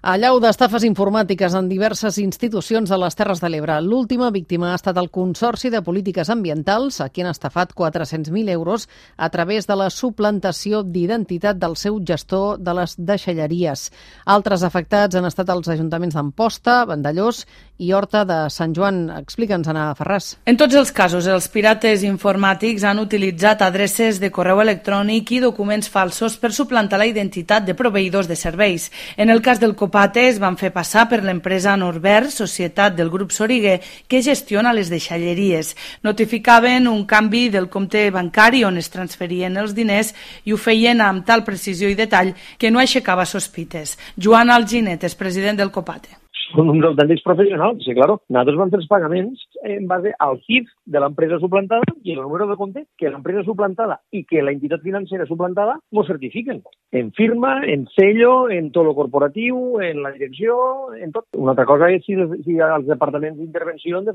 Allau d'estafes informàtiques en diverses institucions de les Terres de l'Ebre. L'última víctima ha estat el Consorci de Polítiques Ambientals, a qui han estafat 400.000 euros a través de la suplantació d'identitat del seu gestor de les deixalleries. Altres afectats han estat els ajuntaments d'Amposta, Vandellòs i Horta de Sant Joan. Explica'ns, Anna Ferràs. En tots els casos, els pirates informàtics han utilitzat adreces de correu electrònic i documents falsos per suplantar la identitat de proveïdors de serveis. En el cas del Copate es van fer passar per l'empresa Norbert, societat del grup Soriguer, que gestiona les deixalleries. Notificaven un canvi del compte bancari on es transferien els diners i ho feien amb tal precisió i detall que no aixecava sospites. Joan Alginet és president del Copate. Són uns autèntics professionals, sí, claro. Nosaltres vam fer els pagaments en base al CIF de l'empresa suplantada i el número de compte que l'empresa suplantada i que la entitat financera suplantada ens certifiquen. En firma, en sello, en tot lo corporatiu, en la direcció, en tot. Una altra cosa és si els departaments d'intervenció han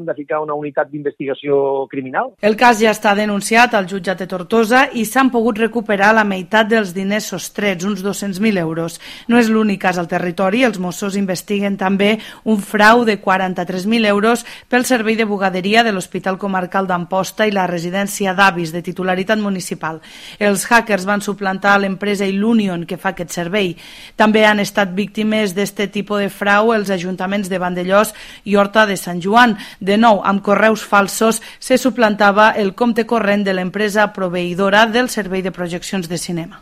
de ficar una unitat d'investigació criminal. El cas ja està denunciat al jutjat de Tortosa i s'han pogut recuperar la meitat dels diners sostrets, uns 200.000 euros. No és l'únic cas al territori, els Mossos investiguen també un frau de 43.000 euros pel servei de bugaderia de l'Hospital Comarcal d'Amposta i la residència d'avis de titularitat municipal. Els hackers van suplantar l'empresa Illunion que fa aquest servei. També han estat víctimes d'este tipus de frau els ajuntaments de Vandellòs i Horta de Sant Joan. De nou, amb correus falsos se suplantava el compte corrent de l'empresa proveïdora del servei de projeccions de cinema.